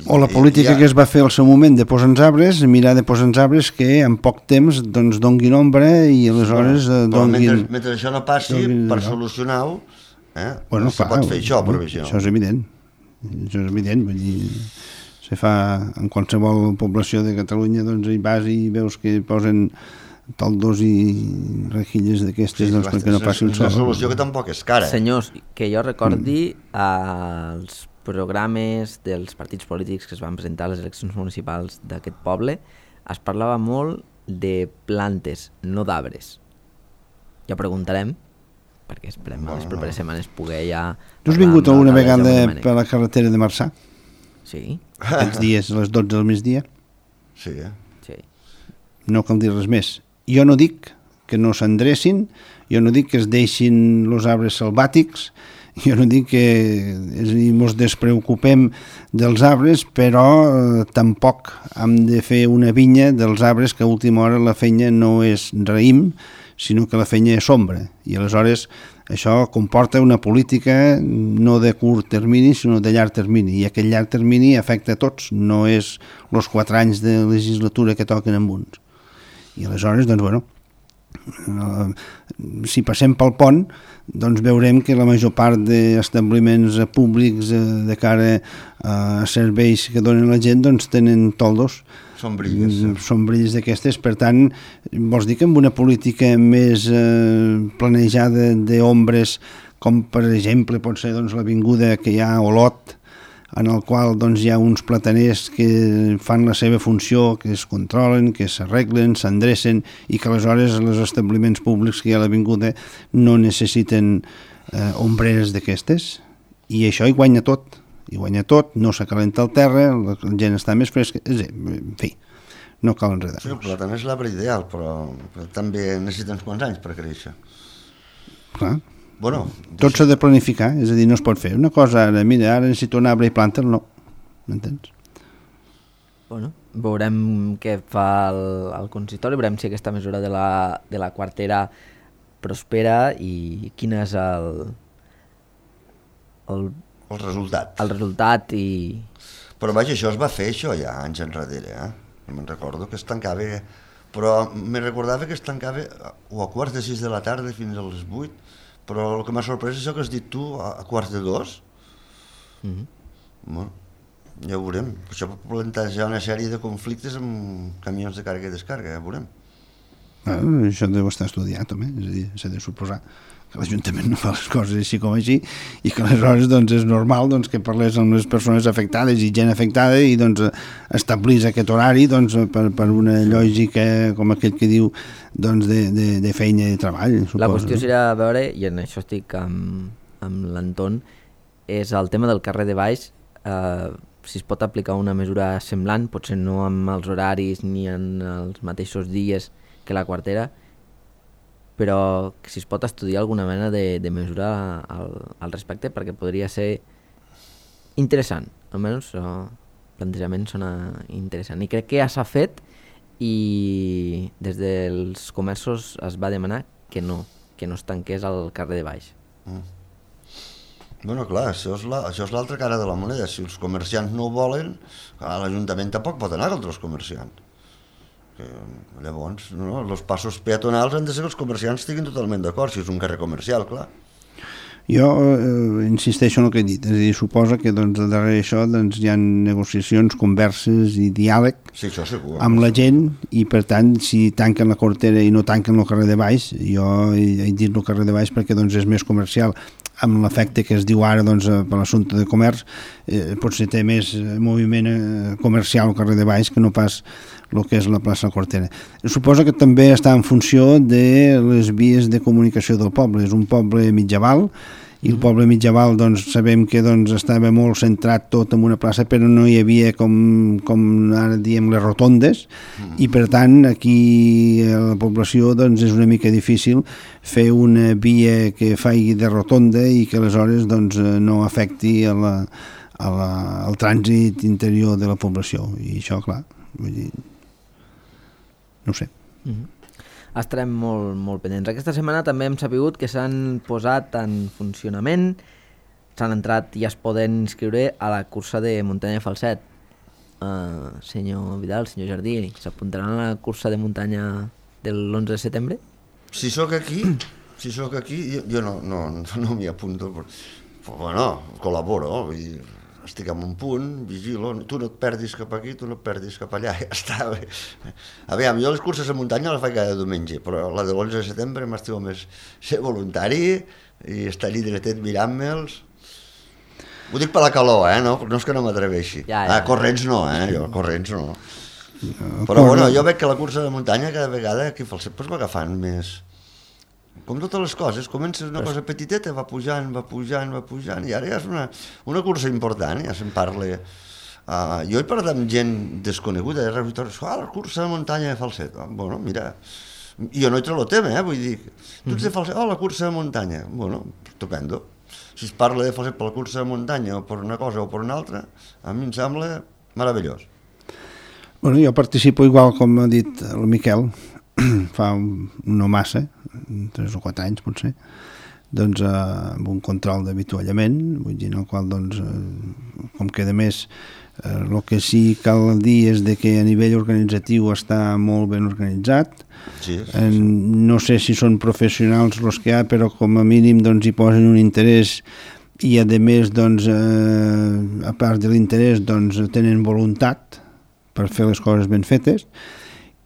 O la política que es va fer al seu moment de posar uns arbres, mirar de posar uns arbres que en poc temps doncs, donguin ombra i aleshores donguin... Mentre això no passi, per solucionar-ho, no se pot fer això, provisió. Això és evident. Això és evident, vull dir... Se fa en qualsevol població de Catalunya, doncs hi vas i veus que posen toldos i rejilles d'aquestes doncs, perquè no passi un sol. És una solució que tampoc és cara. Senyors, que jo recordi els programes dels partits polítics que es van presentar a les eleccions municipals d'aquest poble, es parlava molt de plantes, no d'arbres. Ja preguntarem, perquè esperem a les properes setmanes poder ja... Tu has vingut alguna vegada per la carretera de Marçà? Sí. Aquests dies, a les 12 del migdia? Sí, Sí. No cal dir res més. Jo no dic que no s'endrecin, jo no dic que es deixin els arbres selvàtics, jo no dic que ens despreocupem dels arbres, però tampoc hem de fer una vinya dels arbres que a última hora la feina no és raïm, sinó que la feina és sombra. I aleshores això comporta una política no de curt termini, sinó de llarg termini. I aquest llarg termini afecta a tots, no és els 4 anys de legislatura que toquen amb uns. I aleshores, doncs, bueno, si passem pel pont, doncs veurem que la major part d'establiments públics de cara a serveis que donen la gent doncs tenen toldos, sombrilles d'aquestes. Per tant, vols dir que amb una política més planejada d'ombres, com per exemple pot ser doncs, l'avinguda que hi ha a Olot, en el qual doncs, hi ha uns plataners que fan la seva funció, que es controlen, que s'arreglen, s'endrecen, i que aleshores els establiments públics que hi ha a l'avinguda no necessiten ombreres d'aquestes, i això hi guanya tot, no s'acalenta el terra, la gent està més fresca, en fi, no cal enredar-nos. Sí, el plàtan és l'arbre ideal, però també necessita uns quants anys per créixer. Clar. Bueno, tot s'ha de planificar, és a dir, no es pot fer una cosa ara, mira, ara necessito un arbre i planta'l, no, m'entens? Bueno, veurem què fa el consistori, veurem si aquesta mesura de la quartera prospera i quin és el resultat. El resultat i... Però vaja, això es va fer això ja anys enrere, me'n recordo que es tancava, però me recordava que es tancava o a quarts de 6 de la tarda fins a les 8, però el que m'ha sorprès és això que has dit tu, a quarts de 2. Bueno, ja ho veurem. Això pot plantejar una sèrie de conflictes amb camions de càrrega i descàrrega, ja ho veurem. Això deu estar estudiat, també, és a dir, s'ha de suposar que l'Ajuntament no fa les coses així com així i que aleshores doncs, és normal doncs, que parlés amb les persones afectades i gent afectada i doncs, establís aquest horari doncs, per una lògica com aquell que diu doncs, de feina i de treball. Suposo, la qüestió serà veure, i en això estic amb l'Anton, és el tema del carrer de Baix, si es pot aplicar una mesura semblant, potser no amb els horaris ni en els mateixos dies que la quartera, però si es pot estudiar alguna mena de mesura al respecte, perquè podria ser interessant, almenys el plantejament sona interessant, i crec que ja s'ha fet i des dels comerços es va demanar que no es tanqués al carrer de Baix. Bueno, clar, això és l'altra cara de la moneda. Si els comerciants no ho volen, l'Ajuntament tampoc pot anar contra els comerciants. Llavors, els passos peatonals han de ser que els comerciants estiguin totalment d'acord, si és un carrer comercial, clar. Jo insisteixo en el que he dit, és a dir, suposa que doncs, darrere això doncs, hi ha negociacions, converses i diàleg amb la gent, i per tant, si tanquen la quartera i no tanquen el carrer de Baix, jo he dit el carrer de Baix perquè doncs, és més comercial, amb l'efecte que es diu ara doncs, per l'assumpte de comerç, potser té més moviment comercial al carrer de Baix que no pas el que és la plaça Quartera. Suposo que també està en funció de les vies de comunicació del poble. És un poble mitjaval, i el poble mitjaval doncs, sabem que doncs, estava molt centrat tot en una plaça, però no hi havia, com ara diem, les rotondes, i per tant aquí a la població doncs, és una mica difícil fer una via que faci de rotonda i que aleshores doncs, no afecti al trànsit interior de la població. I això, clar, vull dir, no ho sé. Estarem molt pendents. Aquesta setmana també hem sabut que s'han posat en funcionament, s'han entrat i es poden inscriure a la cursa de muntanya Falset. Senyor Vidal, senyor Jardí, s'apuntaran a la cursa de muntanya del 11 de setembre? Si sóc aquí, jo no m'hi apunto, però bueno, col·laboro, vull dir, estic en un punt, vigilo, tu no et perdis cap aquí, tu no et perdis cap allà, ja està bé. Aviam, jo les curses de muntanya les faig cada diumenge, però la de l'11 de setembre m'estiu més ser voluntari i estar allí dretet mirant-me'ls. Ho dic per la calor, no és que no m'atreveixi. Corrents no, jo corrents no. Però bueno, jo veig que la cursa de muntanya cada vegada aquí al Falset va agafant més... Com totes les coses, comença una cosa petiteta, va pujant, i ara ja és una cursa important, ja se'n parla Jo he parlat amb gent desconeguda, la cursa de muntanya de Falset. Bueno, mira, jo no hi trobo tema, vull dir, tu ets de Falset, la cursa de muntanya. Bueno, estupendo. Si es parla de Falset per la cursa de muntanya o per una cosa o per una altra, a mi em sembla meravellós. Bueno, jo participo igual com ha dit el Miquel, fa no massa, 3 o 4 anys potser, doncs amb un control d'avituallament, vull dir, en el qual doncs, com que a més el que sí cal dir és de que a nivell organitzatiu està molt ben organitzat. Sí. No sé si són professionals els que hi ha, però com a mínim doncs, hi posen un interès i a més doncs, a part de l'interès doncs, tenen voluntat per fer les coses ben fetes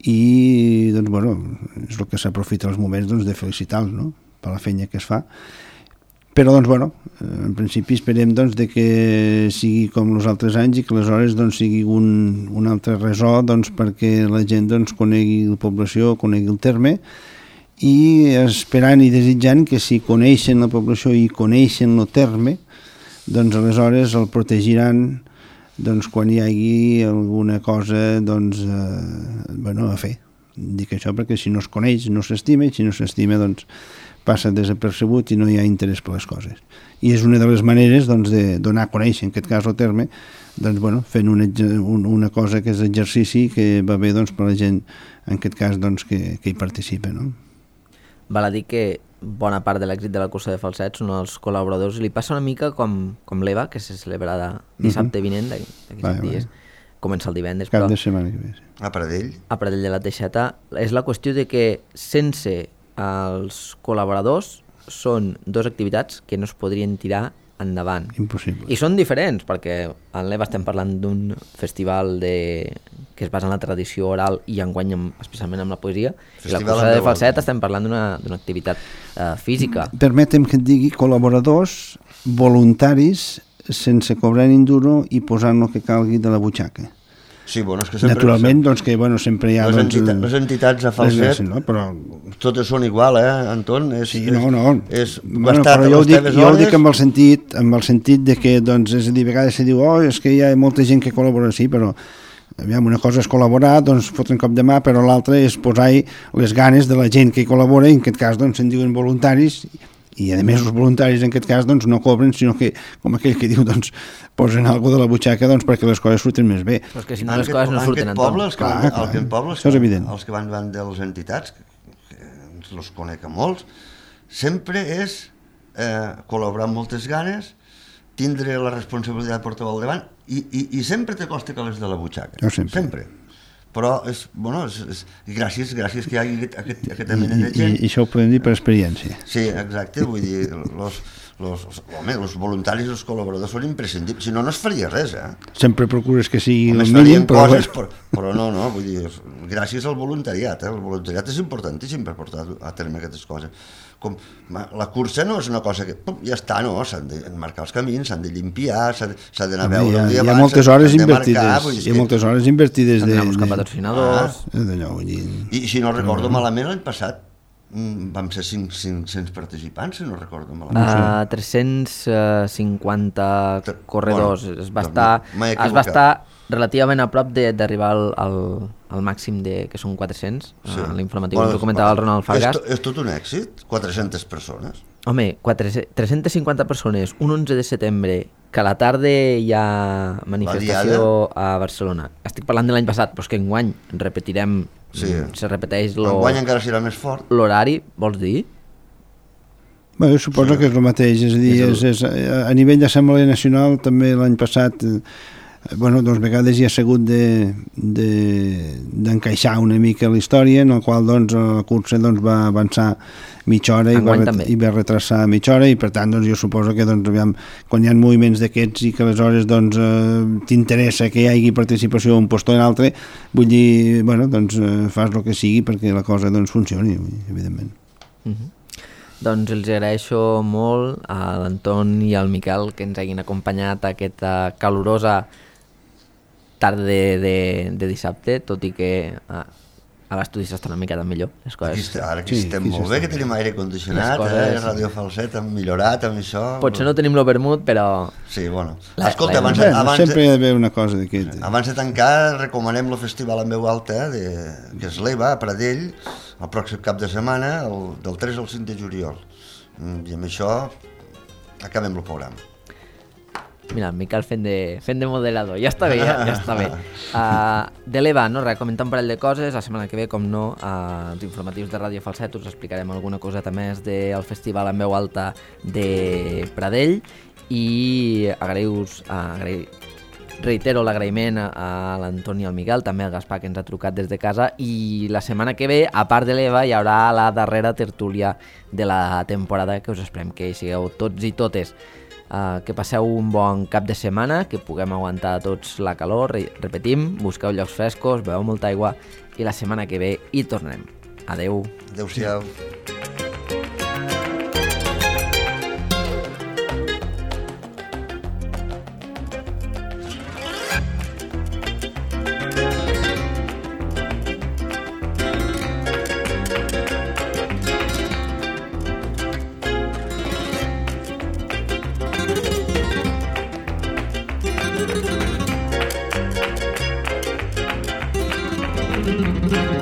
i doncs, bueno, és el que s'aprofita els moments doncs, de felicitar-los, no? Per la feina que es fa. Però, doncs, bueno, en principi esperem doncs, de que sigui com els altres anys i que aleshores doncs, sigui un altre resò doncs, perquè la gent doncs, conegui la població, conegui el terme i esperant i desitjant que si coneixen la població i coneixen el terme, doncs aleshores el protegiran doncs, quan hi hagi alguna cosa doncs, bueno, a fer. Dic això perquè si no es coneix no s'estima i si no s'estima doncs, passa desapercebut i no hi ha interès per les coses. I és una de les maneres doncs, de donar a conèixer, en aquest cas el terme, doncs, bueno, fent una cosa que és exercici que va bé doncs, per la gent, en aquest cas, doncs, que hi participa. No? Val a dir que bona part de l'èxit de la cursa de Falset són els col·laboradors. Li passa una mica com l'EVA, que se celebrarà dissabte vinent, d'aquí 7 dies. Comença el divendres, Cap però... de setmana que ve. A Pradell. A Pradell de la Teixeta. És la qüestió de que sense els col·laboradors són 2 activitats que no es podrien tirar endavant. Impossible. I són diferents, perquè en l'EVA estem parlant d'un festival que es basa en la tradició oral i enguany especialment amb la poesia, i la cursa de Falset estem parlant d'una activitat física. Permetem que et digui col·laboradors voluntaris sense cobrar ni un duro i posant el que calgui de la butxaca. Sí, bueno, és que sempre... Naturalment, doncs, que bueno, sempre hi ha... Les entitats a Falset, no? Però... totes són igual, Anton? Sí, no. És bueno, però jo ho dic amb el sentit de que, doncs, és a dir, a vegades se diu, és que hi ha molta gent que col·labora, sí, però aviam, una cosa és col·laborar, doncs fotre un cop de mà, però l'altra és posar-hi les ganes de la gent que hi col·labora, i en aquest cas, doncs, se'n diuen voluntaris, i a més els voluntaris en aquest cas doncs, no cobren, sinó que, com aquell que diu, doncs, posen alguna de la butxaca doncs, perquè les coses surten més bé. Però és que si no les coses no surten, Anton. Això és evident. Els que van davant de les entitats, que els conec a molts, sempre és col·laborar amb moltes ganes, tindre la responsabilitat de portar-ho al davant i sempre te costa que les de la butxaca. Jo sempre. Però és gràcies que hi hagi aquesta mena de gent. I això ho podem dir per experiència. Sí, exacte, vull dir, els voluntaris i els col·laboradors són imprescindibles, si no, no es faria res, Sempre procures que sigui el mínim, però no, vull dir, gràcies al voluntariat, el voluntariat és importantíssim per portar a terme aquestes coses. La cursa no és una cosa que ja està, no, s'han de marcar els camins, s'han de limpiar, s'ha d'anar a veure el dia abans, hi ha moltes hores invertides, s'han d'anar a buscar patrocinadors. I si no recordo malament, l'any passat vam ser 500 participants, si no recordo malament. 350 corredors. Es va estar relativament a prop d'arribar al màxim que són 400, l'informatiu que comentava el Ronald Fargas. És tot un èxit, 400 persones. Home, 350 persones, un 11 de setembre, que a la tarda hi ha manifestació a Barcelona. Estic parlant de l'any passat, però és que enguany repetirem, se repeteix enguany encara serà més fort. L'horari, vols dir? Bé, jo suposo que és el mateix, és a dir, a nivell d'Assemblea Nacional també l'any passat doncs vegades hi ha sigut d'encaixar una mica la història, en la qual doncs, la cursa doncs, va avançar mitja hora i va retrasar mitja hora, i per tant doncs, jo suposo que doncs, quan hi ha moviments d'aquests i que aleshores doncs, t'interessa que hi hagi participació un post o en altre, vull dir, bueno, doncs, fas el que sigui perquè la cosa doncs, funcioni, evidentment. Doncs els agraeixo molt a l'Anton i al Miquel que ens hagin acompanyat a aquesta calorosa tarda de dissabte, tot i que a l'estudi s'està una miqueta millor, les coses. Ara que estem molt bé, que tenim aire condicionat, Radio Falset hem millorat amb això. Potser no tenim lo vermut, però... Sí, bueno. Escolta, abans sempre hi ha d'haver una cosa d'aquest. Abans de tancar, recomanem el festival en veu alta, que es l'EVA, a Pradell, el pròxim cap de setmana, del 3 al 5 de juliol. I amb això acabem el programa. Mira, el Miquel fent de moderador, ja està bé, ja està bé. De l'EVA, no? Comentar un parell de coses, la setmana que ve, com no, els informatius de Ràdio Falset us explicarem alguna coseta més del festival en veu alta de Pradell i reitero l'agraïment a l'Antoni i al Miquel, també al Gaspar que ens ha trucat des de casa, i la setmana que ve, a part de l'EVA, hi haurà la darrera tertúlia de la temporada, que us esperem que hi sigueu tots i totes. Que passeu un bon cap de setmana, que puguem aguantar tots la calor, repetim, busqueu llocs frescos, beveu molta aigua i la setmana que ve hi tornem. Adeu. Adéu-siau. Mm-hmm.